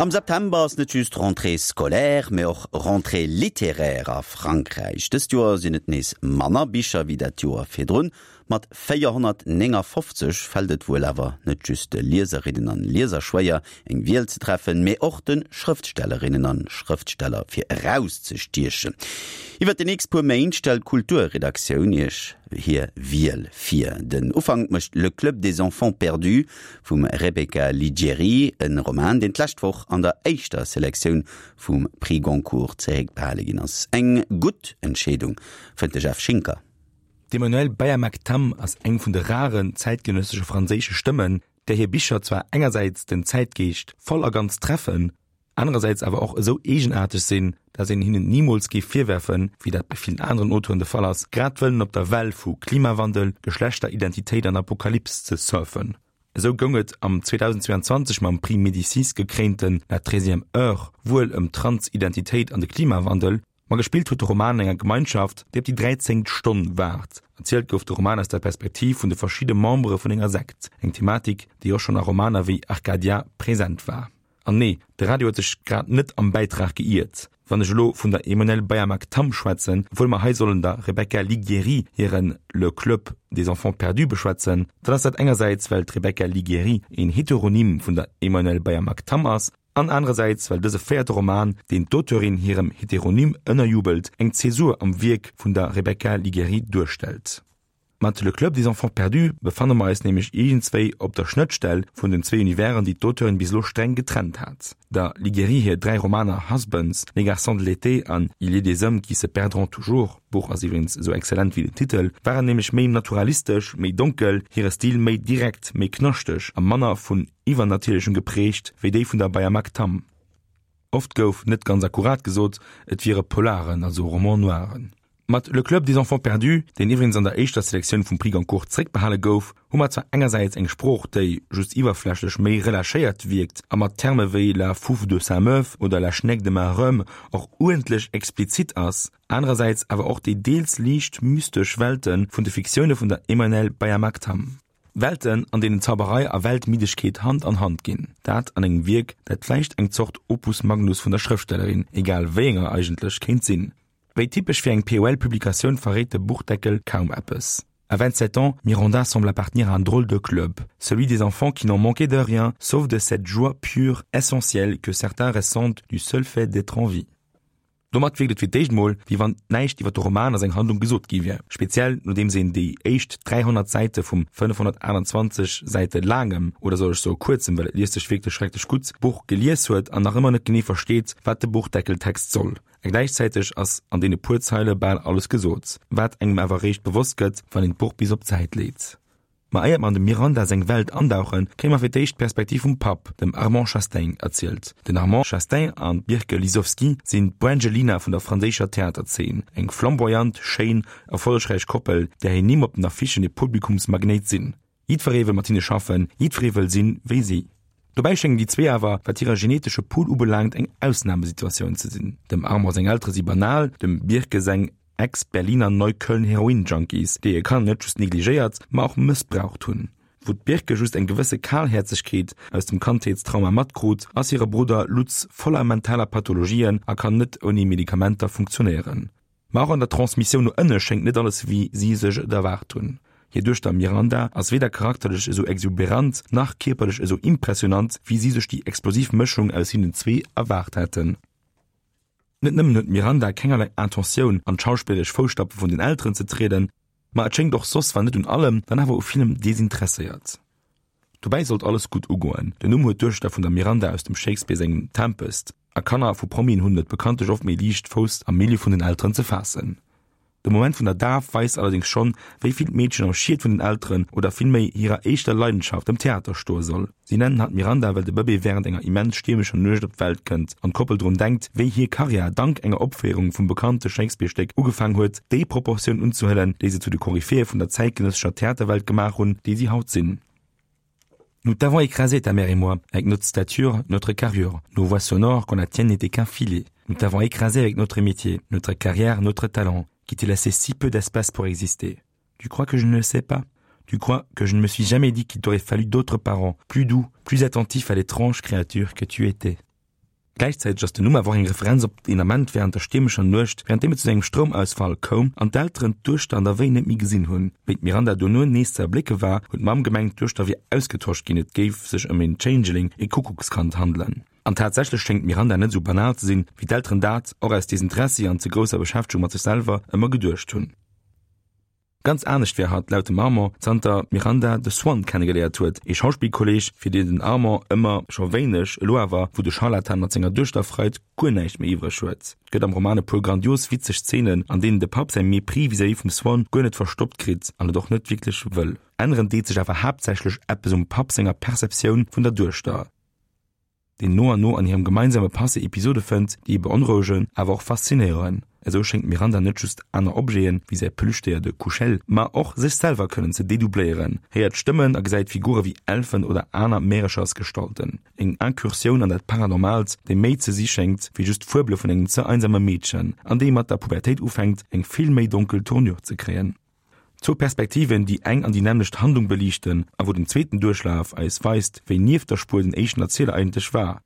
Am September ass net just Rentrée scolaire, mee och Rentrée littéraire a Frankräich. Dëst Joer sinn et nees manner Bicher wéi dat Joer virdrun. Mat 459 fält et wuel awer net just de Lieserinnen an Lieser schwéier, eng Wiel ze treffen, mee och de Schrëftstellerinnen an Schrëftsteller fir erauszestiechen. Iwwer déi nächst puer Méint stellt d'Kulturredaktioun Iech hir Wiel vir. Den Ufank mécht Le Club des enfants perdus vum Rebecca Liggieri, e Roman, deen d'lescht Woch an der éischter Selektioun vum Prix Goncourt zeréckbehale ginn ass. Eng gutt Entscheedung, fënnt de Jeff Schinker. D'Emmanuelle Bayamack-Tam ass eng vun de raren zäitgenëssesche franséische Stëmmen, där hir Bicher zwar engersäits den Zäitgeescht voll a ganz treffen, anerersäits awer och esou eegenaarteg sinn, dat een hinnen nimools géif virwerfen, wéi dat bei villen aneren Auteuren de Fall ass, grad wëllen op der Well vu Klimawandel, Geschlechteridentitéit an Apokalyps ze surfen. Esou goung et am 2022 mam Prix Médicis gekréinten La treizième heure wuel ëm d'Transidentitéit an de Klimawandel, Ma gespillt huet de Roman an enger Gemeinschaft, déi op déi dräizéngt Stonn waart. Erzielt gouf de Roman aus der Perspektiv vun de verschidde Membere vun enger Sekt, eng Thematik, déi och schonn a Romaner wéi Arcadia present war. An nee, de Radio huet sech grad net am Bäitrag geiert. Wann ech elo vun der Emmanuelle Bayamack-Tam schwätzen, obwuel mer hei sollen der Rebecca Lighieri hire Le Club des enfants perdus beschwätzen, dann ass dat engersäits, well d'Rebecca Lighieri een Heteronym vun der Emmanuelle Bayamack-Tam ass, An anerersäits well dëse véierte Roman, deen d'Auteurin hirem Heteronym ënnerjubelt, eng Zäsur am Wierk vun der Rebecca Lighieri duerstellt. Mat Le Club des enfants perdus befanne mer eis nämlech iergendswéi op der Schnëttstell vun den zwéi Universen, déi d'Auteurin bis elo streng getrennt hat. Der Lighieri hir dräi Romaner Husbands, Les garçons de l'été an Il est des hommes qui se perdront toujours, d'Buch ass iwwregens esou exzellent wéi den Titel, waren nämlech méi naturalistesch, méi donkel, hire Stil méi direkt, méi knaschteg a manner vun Iwwernatierlechem geprägt wéi déi vun der Bayamack Tam. Oft gouf, net ganz akkurat gesot, et wiere Polaren, also Romans noiren. Mat Le Club des enfants perdus, deen iwwregens an der éischter Selektioun vum Prix Goncourt zeréckbehale gouf, hu mer zwar engersäits eng Sprooch, déi just iwwerflächlech méi relâchéiert wierkt a mat Terme wéi la fouf de Saint-Meuve oder la schneck de ma rhum och uerdentlech explizit ass, anerersäits awer och déi deels liicht mystesch Welte vun de Fiktioune vun der Emmanuelle Bayamack-Tam. Welten, an deenen Zauberei a Weltmiddegkeet Hand an Hand ginn. Dat an engem Wierk, dat vläicht eng Zort Opus Magnus vun der Schrëftstellerin, egal wéi enger eigentlech, kéint sinn. Wéi typesch fir eng POL-Publikatioun verréit de Buchdeckel kaum eppes. À 27 ans, Miranda semble appartenir à un drôle de club, celui des enfants qui n'ont manqué de rien, sauf de cette joie pure, essentielle que certains ressentent du seul fait d'être en vie. Domat wierkt et fir d'éischt mol, wéi wann näischt iwwer de Roman a seng Handlung gesot gi wier, speziell nodeems een déi éischt 300 Säite vum 528 Säite laangem, oder soll ech soe kuerzem, well et liest sech wierklech schrecklech gutt, Buch gelies huet an nach ëmmer net genee versteet, wat de Buchdeckeltext soll. A gläichzäiteg ass an deene puer Zeile bal alles gesot, wat engem awer eréischt bewosst gëtt, wann een d'Buch bis op d'Säit leet. Ma éiert mer an dem Miranda seng Welt andauchen, kréie mer fir d'éischt d'Perspektiv vum Papp, dem Armand Chastain, erzielt. Den Armand Chastain an d'Birke Lisowski sinn d'Brangelina vun der franséischer Theaterzeen, eng flamboyant, schéin, erfollegräich Koppel, där hir Nimm op den Affichen e Publikumsmagnéit sinn. Jiddweree wëll mat hinne schaffen, jiddweree wëll sinn wéi si. Dobäi schéngen déi zwee awer, wat hire genetesche Pool ubelaangt, eng Ausnamesituatioun ze sinn. Dem Armand seng Eltere si banal, dem Birke seng Ex-Berliner Neukölln-Heroin-Junkies, déi hir Kanner net just negligéiert, ma och mëssbraucht hunn. Wou d'Birke just eng gewësse Kalhäerzegkeet aus dem Kandheetstrauma matkrut, ass hire Brudder Lutz voller mentaler Pathologien a kann net ouni Medikamenter funktionéieren. Ma och an der Transmissioun no ënne schéngt net alles wéi si sech et erwaart hunn. Hir Duechter Miranda ass weder charakterlech esou exuberant, nach kierperlech esou impressionant, wéi si sech déi explosiv Mëschung aus hinnen zwee erwaart hätten. Net nëmmen huet d'Miranda kengerlei Intentioun, an d'schauspillerlesch Fousstapfe vun den Elteren ze trieden, ma et schéngt och soss, wann net un allem, dann awer u villem desinteresséiert. Dobäi sollt alles gutt ugoen, den Numm huet d'Duechter vun der Miranda aus dem Shakespeare sengem Tempest, a Kanner vu Promien hunn et bekanntlech oft méi liicht, Fouss am Milieu vun den Elteren ze faassen. De Moment vun der Daf weist allerdéngs schonn, wéi vill d'Meedchen am Schiet vun den Elteren, oder villméi hirer éischter Leidenschaft, dem Theater, stoe soll. Si nennen hatt Miranda, well de Bëbee wärend enger immens stiermescher Nuecht op d'Welt kënnt an d'Koppel drun denkt, wéi hir Karriär dank enger Opféierung vum bekannte Shakespeare-Stéck ugefaang huet, déi Proportioun unzehuelen, déi se zu de Koryphäe vun der zäitgenëssescher Theaterwelt gemaach hunn, déi si haut sinn. Nous t'avons écrasé ta mère et moi, avec notre stature, notre carrure, nos voix sonores quand la tienne n'était qu'un filet. Nous t'avons écrasé avec notre métier, notre carrière, notre talent, qui t'est laissé si peu d'espace pour exister. Tu crois que je ne le sais pas Tu crois que je ne me suis jamais dit qu'il t'aurait fallu d'autres parents, plus doux, plus attentifs à l'étrange créature que tu étais. Gläichzäiteg ass den Numm awer och eng Referenz op een Ament wärend der stiermescher Nuecht, wärend deem et zu engem Stroumausfall koum an d'Elteren d'Duechter an der Wéi net méi gesinn hunn. Wéi d'Miranda dono nees ze erblécke war, huet d'Mamm gemengt, d'Duechter wier ausgetosch ginn, et géif sech ëm een Changeling, ee Kuckuckskand handelen. An tatsächlech schéngt d'Miranda net esou banal ze sinn, wéi d'Elteren dat, och aus Desinteressi an ze grousser Beschäftegung mat sech selwer, ëmmer geduecht hunn. Ganz anescht wär hatt, laut dem Armand, zanter d'Miranda de Swann kennegeléiert huet, ee Schauspillkolleg, fir deen den Armand ëmmer scho wéineg, elo awer, wou de Scharlatan mat senger Duechter freit, guer näischt méi iwwreg huet. Et gëtt am Roman e puer grandios witzeg Zeenen, an deenen de Papp säi Mépris vis-à-vis vum Swann guer net verstoppt kritt an et och net wierklech wëll. Änneren deet sech awer haaptsächlech eppes um Papp senger Perceptioun vun der Duechter. deen no an no an hirem gemeinsame Passé Episode fënnt, déi e beonrouegen, awer och faszinéieren. Esou schéngt d'Miranda net just aner Objeten, wéi säi Plüschdéier de Kuschel, ma och sech selwer kënnen ze dedoubléieren, héiert Stëmmen a gesäit Figure wéi Elfen oder aner Märechersgestalten. Eng Incursioun an dat Paranormaalt, déi méi ze si schéngt, wéi just d'Fuebele vun engem ze einsame Meedchen, an déi mat der Pubertéit ufänkt, eng vill méi donkel Tournure ze kréien. Zwou Perspektiven, déi eng an déi nämmlecht Handlung beliichten a wou den zweeten Duerchlaf eis weist, wéi nieft der Spuer den éischten Erzieler eigentlech war.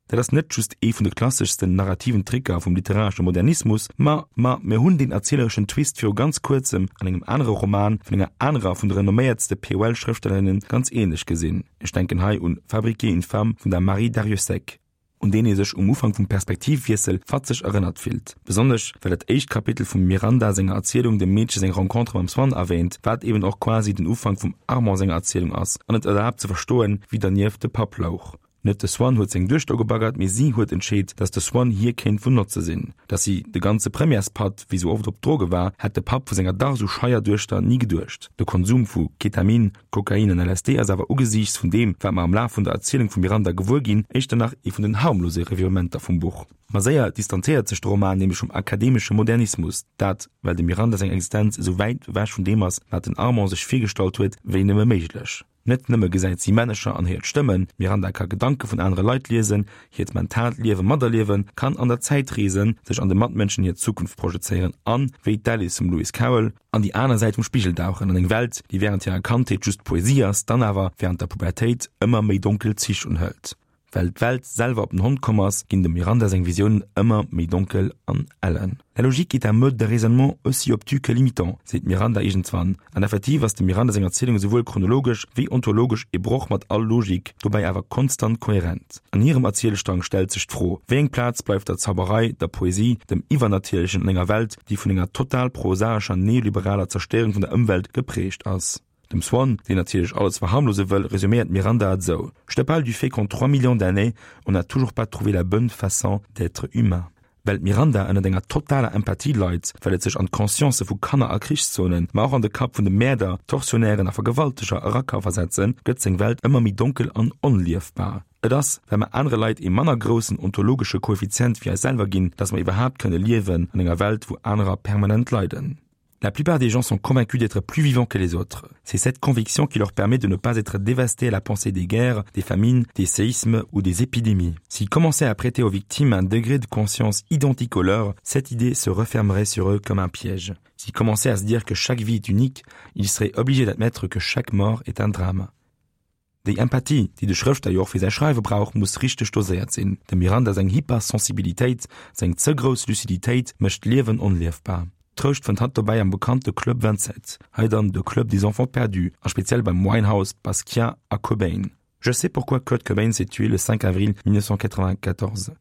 Dat ass net just ee vun de klasseschsten narrativen Tricker vum literaresche Modernismus, ma ma mir hunn deen erzielereschen Twist viru ganz kuerzem an engem anere Roman vun enger anerer vun de renomméiertste POL-Schrëftstellerinnen ganz änlech gesinn, ech denken hei un Fabriquer une femme vun der Marie Darrieussecq. Un deen ee sech um Ufank vum Perspektivwiessel fatzeg erënnert fillt, besonnesch well dat éischt Kapitel vum Miranda senger Erzielung dem Meedche seng Rencontre mam Swann erwäänt, wat eben och quasi den Ufank vum Armand senger Erzielung ass an et erlaabt ze verstoen, wéi dernieft de Papp louch. Net de Swann huet seng Duechter ugebaggert, mee si huet entscheet, dass de Swann hir kéint vun Notze sinn. Dass si de ganze Premièrespatt wéi sou oft op Droge war, hätt de Papp vu senger dach sou scheier Duechter ni geduecht. De Konsum vu Ketamin, Kokain an LSD ass awer ugesiichts vun deem, wat mer am Laf vun der Erzielung vum Miranda gewuer ginn, éischter nach ee vun den harmlose Revirementer vum Buch. Ma séier distanzéiert sech de Roman nämlech vum akademesche Modernismus, dat well dem Miranda seng Existenz esou wäit ewech vun deem ass, wat den Armand sech virgestallt huet, wéi nëmme méiglech. Net nëmme gesäit si Männecher an héiert Stëmmen, d'Miranda ka Gedanke vun anere Leit liesen, hiert mentaalt Liewe materliewen, kann an der Zäit reesen, sech an de Matmënschen hir Zukunft projezéieren an, wéi d'Alice vum Lewis Carroll, an déi aner Säit vum Spigel dauchen, an eng Welt, déi wärend hirer Kandheet just Poesie ass, dann awer wärend der Pubertéit ëmmer méi donkel Zich unhëlt. Well d'Welt selwer op den Hond komm ass, ginn dem Miranda seng Visiounen ëmmer méi donkel an ellen. La logique est un mode de raisonnement aussi obtus que limitant, seet d'Miranda iergendswann. An effektiv ass dem Miranda seng Erzielung esouwuel chronologesch wéi ontologesch ee Broch mat all Logik, dobäi awer konstant kohärent. An hirem Erzielstrang stellt sech d'Fro, Wéi eng Plaz bleift der Zauberei, der Poesie, dem Iwwernatierlechen an enger Welt, déi vun enger total prosaescher neoliberaler Zerstéierung vun der Ëmwelt geprägt ass? Dem Swann, deen natierlech alles verharmlose wëll, resuméiert d'Miranda et esou, Je te parle du fait qu'en 3 millions d'années, on n'a toujours pas trouvé la bonne façon d'être humain. Well d'Miranda ënnert enger totaler Empathie leit, well et sech an d'Conscience vu Kanner a Krichszonen, ma och an de Kapp vun de Mäerder, Tortionnairen a Vergewalteger era ka versetzen, gëtt seng Welt ëmmer méi donkel an onliefbar. Et ass, well mer anere Leit ee manner groussen ontologesche Koeffizient wéi eis selwer ginn, dass mer iwwerhaapt kënne liewen an enger Welt, wou anerer permanent leiden. La plupart des gens sont convaincus d'être plus vivants que les autres. C'est cette conviction qui leur permet de ne pas être dévastés à la pensée des guerres, des famines, des séismes ou des épidémies. S'ils commençaient à prêter aux victimes un degré de conscience identique au leur, cette idée se refermerait sur eux comme un piège. S'ils commençaient à se dire que chaque vie est unique, ils seraient obligés d'admettre que chaque mort est un drame. Déi Empathie, déi de Schrëftsteller jo och fir säi Schreiwe brauch, muss richteg doséiert sinn. Dem Miranda seng Hypersensibilitéit, seng ze grouss Luciditéit mécht d'Liewen onliefbar. Trouscht fënnt hatt dobäi am bekannte Club 27, hei dann de Club des enfants perdus, a speziell beim Winehouse, Basquiat a Cobain. Je sais pourquoi Kurt Cobain s'est tué le 5 avril 1994.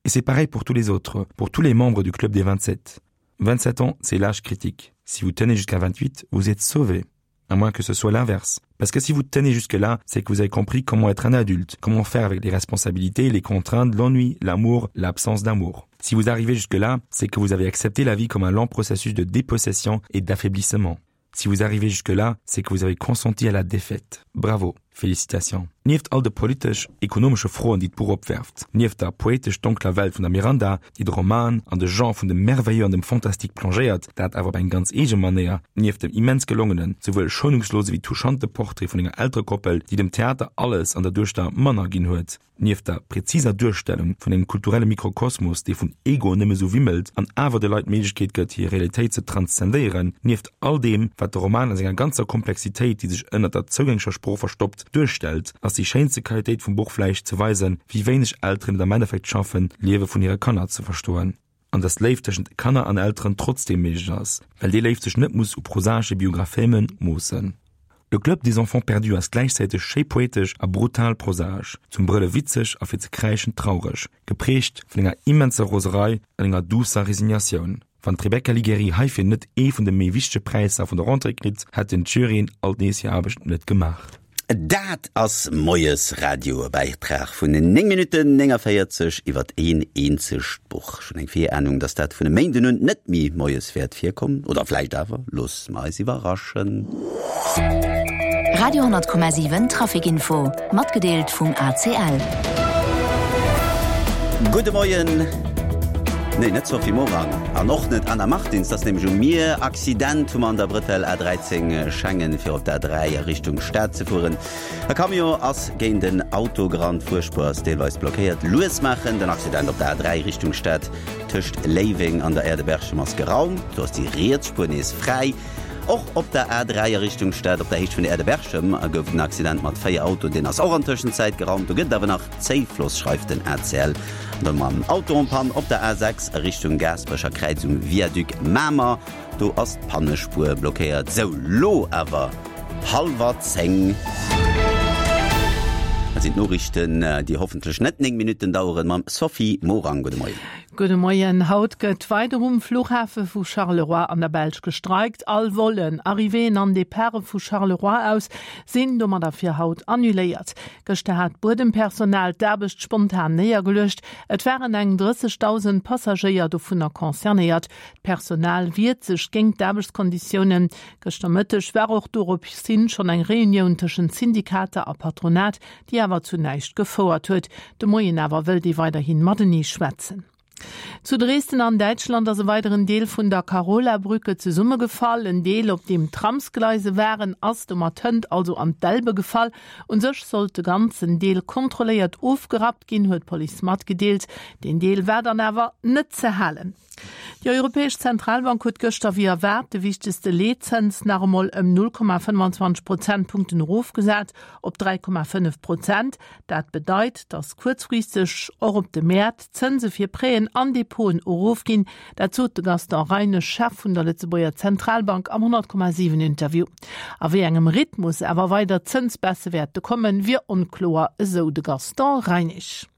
Et c'est pareil pour tous les autres, pour tous les membres du Club des 27. 27 ans, c'est l'âge critique. Si vous tenez jusqu'à 28, vous êtes sauvé. À moins que ce soit l'inverse. Parce que si vous tenez jusque-là, c'est que vous avez compris comment être un adulte, comment faire avec les responsabilités, les contraintes, l'ennui, l'amour, l'absence d'amour. Si vous arrivez jusque-là, c'est que vous avez accepté la vie comme un lent processus de dépossession et d'affaiblissement. Si vous arrivez jusque-là, c'est que vous avez consenti à la défaite. Bravo, félicitations. Nieft all de politesch, ekonomesche Froen, déi d'Buch opwerft, nieft der poetesch donkler Welt vun der Miranda, déi de Roman an de Genre vun dem Merveilleux an dem Fantastique plongéiert, dat awer op eng ganz eege Manéier, nieft dem immens gelongenen, souwuel schounungslose wéi touchante Portrait vun enger Elterekoppel, déi dem Theater alles an der Duechter manner ginn huet, nieft der präziser Duerstellung vun engem kulturelle Mikrokosmos, dee vun Egoen nëmme sou wimmelt an awer de Leit d'Méiglechkeet gëtt, hir Realitéit ze transzendéieren, nieft all deem, wat de Roman a senger ganzer Komplexitéit, déi sech ënnert der zougänglecher Sprooch verstoppt. duerstellt, ass déi schéinste Qualitéit vum Buch vläicht ze weisen, wéi wéineg Elteren et am Endeffekt schaffen, d'Liewe vun hire Kanner ze verstoen. An dass Léift tëschent Kanner an Elteren trotzdeem méiglech ass, well déi Léift sech net muss u prosaesche Biographéme moossen. Le Club des enfants perdus ass gläichzäiteg schéi poetesch a brutal prosaesch, zum Brëlle witzeg a fir ze kräischen traureg, geprägt vun enger immenser Roserei an enger duusser Resignatioun. Wann d'Rebecca Ligeri heifir net ee vun de méi wichtege Präisser vun der Rentrée kritt, hätten d'Juryen alt nees hir Aarbecht net gemaach. Dat ass Moies Radio, e Bäitrag vun 9 Minutten 49 iwwert een eenzegt Buch. Ech hunn eng Virahnung, dass dat vun e Méinden un net méi moies wäert virkommen. Oder vläicht awer, loosse mer eis iwwerraschen. Radio 10,7 Trafic Info, matgedeelt vum ACL. Gudde Moien. Nee, net Sophie Morang an och net Anna Martins, dat ass nämlech um Mier. Accident hu mer an der Brëtell A13 Schengen fir op d'A3 a Richtung Stad ze fueren. E Camion ass géint en Auto gerannt, d'Fuerspuer ass deelweis blockéiert. Lues maachen, den Accident op der A3 Richtung Stad tëscht Léiweng an der Aire de Berchem ass geraumt, do ass déi riets Spuer nees fräi. Och op der A3 a Richtung Stad op der Héicht vun der Aire de Berchem gouf et en Accident mat 4 Autoen, deen ass och an Tëschenzäit geraumt. Do gëtt et awer nach Zéifloss, schreift den ACL. An dann mam Auto en panne op der A6 a Richtung Gaasperecher Kräiz um Viaduc Mamer. Do ass d'Pannespuer blockéiert. Sou, lo awer hallwer 10. Dat sinn d'Noriichten, déi hoffentlech net 9 Minutten daueren, mam Sophie Morang. Gudde Moien. Gudde Moien. Haut gëtt weider um Fluchhafe vu Charleroi an der Belsch gestreikt. All Vollen, Arrivéeën an Departe vu Charleroi aus sinn domadder fir haut annuléiert. Gëschter hat d'Buedempersonal d'Aarbecht spontan néiergeluecht. Et waren eng 30.000 Passagéier dovunner concernéiert. D'Personal wiert sech géint d'Aarbechtskonditiounen. Gëschter Mëtteg war och dorops hin schonn eng Reunioun tëschent Syndikater a Patronat, déi awer zu näischt gefouert huet. De Moien awer wëllt ee weiderhi matenee schwätzen. Zu Dresden an Däitschland ass e weideren Deel vun der Carolabrücke zesummegefall. En Deel, op deem Tramsgleise waren, ass domat hënt also an d'Elbe gefall. Un sech sollt de ganzen Deel kontrolléiert ofgerappt ginn, huet d'Police matgedeelt. Deen Deel war dann awer net ze halen. Déi Europäesch Zentralbank huet gëschter wéi erwaart de wichtegste Leetzëns nach emol ëm 0,25 Prozentpunkten erofgesat op 3,5 Prozent. Dat bedeit, datt kuerzfristeg och op de Mäert d'Zënse fir Prêten an Depoten erofginn. Dat sot de Gaston Reinesch, Chef vun der Lëtzebuerger Zentralbank am 100,7 Interview. A wéi engem Rhythmus awer weider Zënsbaisse wäerte kommen, wier onkloer, esou de Gaston Reinesch.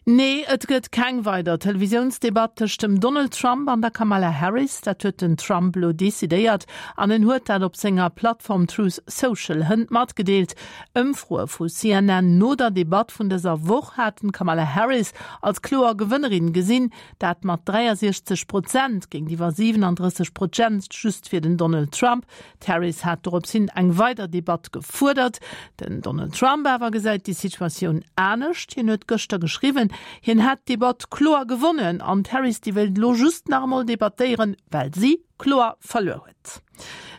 Nee, et gëtt keng weider Televisiounsdebatt tëscht dem Donald Trump an der Kamala Harris. Dat huet den Trump elo decidéiert an en huet dat op senger Plattform Truth Social hënt matgedeelt. Ëmfroe vu CNN no der Debatt vun dëser Woch haten d'Kamala Harris als kloer Gewënnerin gesinn, dat mat 63 Prozent géintiwwer 37 Prozent just fir den Donald Trump. D'Harris hat dorops hin eng weider Debatt gefuerdert. Den Donald Trump awer gesäit déi Situatioun anescht. Hien huet gëschter geschriwwen, hien hätt d'Debatt kloer gewonnen an d'Harris déi wéilt elo just nach emol debattéieren, well si kloer verluer huet.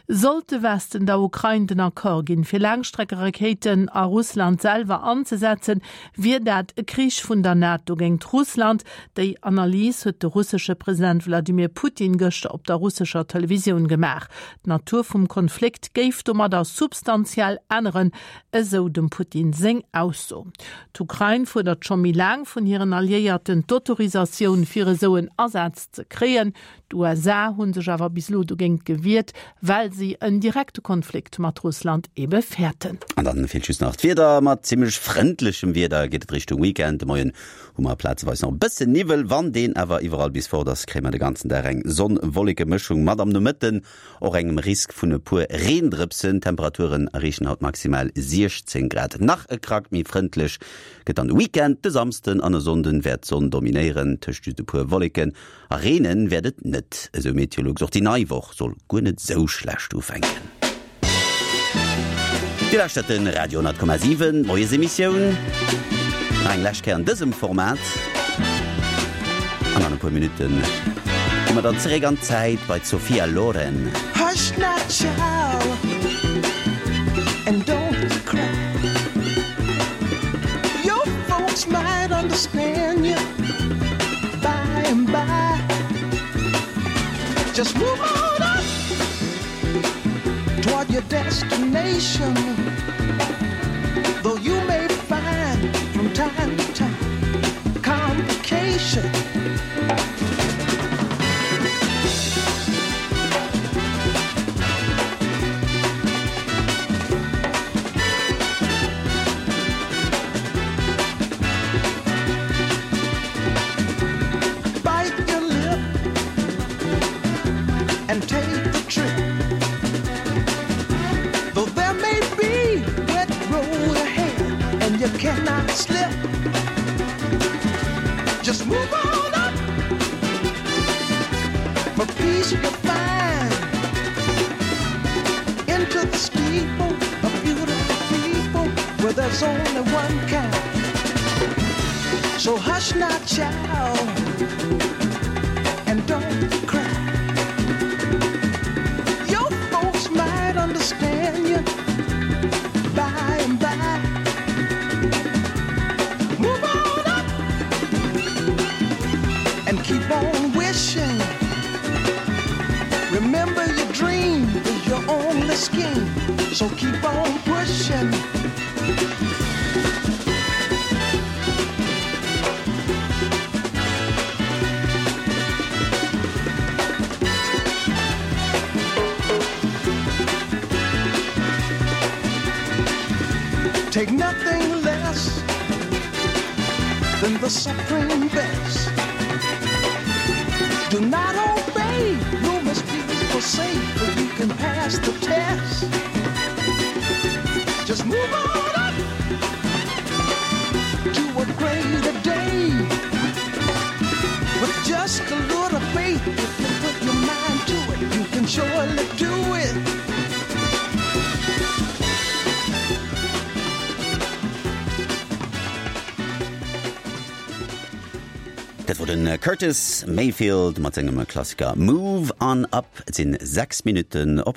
Sollt de Westen der Ukrain den Accord ginn, fir Laangstreckerakéiten a Russland selwer anzesetzen, wier dat e Krich vun der NATO géingt Russland. Déi Analys huet de russesche President Wladimir Putin gëschter op der russescher Televisioun gemaach. D'Natur vum Konflikt géif domadder substantiell änneren, esou dem Putin seng Ausso. D'Ukrain fuerdert scho méi laang vun hiren Alliéierten d'Autorisatioun fir esou en Asaz ze kréien. D'USA hu sech awer bis elo dogéint gewiert, well si en direkte Konflikt mat Russland ebe fäerten. An dann feelt just nach d'Wieder. Mat zimmlech frëndlechem Wieder geet et Richtung Weekend. De Moien hu mer plazeweis nach e bëssen Niwwel. Wann deen awer iwwerall bis fort ass, kréie mer de ganzen Dag eng Sonn-Wolleke-Mëschung mat am Nomëtten och engem Risk vun e puer Reendrëpsen. D'Temperaturen erreechen haut maximal 16 Grad. Nach e Krack méi frëndlech gëtt dann de Weekend. De Samsden an e Sonnden wäert d'Sonn dominéieren, tëscht just e puer Wolleken. A reenen wäert et net, esou Meteolux. Och déi nei Woch soll guer net esou schlecht ufänken. Dir lauschtert de Radio 10,7, d'Moiesemissioun. Nach eng lescht Kéier an dësem Format. An an e puer Minutte gi mer dann zeréck an d'Zäit bei d'Sophia Loren. Hush now child and don't you cry Your folks might understand you By and by Just move on up Toward your destination. wishing. Bite your lip and take the trip. Though there may be wet road ahead and you cannot slip. Just move on up for peace you'll find into the steeple of beautiful people where there's only one kind. So hush not, child, and don't cry. Your folks might understand you by and by. Move on up and keep on wishing. Remember your dream is your only scheme, so keep on pushing. Take nothing less than the supreme best. Do not obey rumors people say, but you can pass the test. Just move on up to a greater day. With just a little faith, if you put your mind to it, you can surely do it. Dat wor den Curtis Mayfield mat sengem Klassiker Move On Up. Et sinn 6 Minutten op.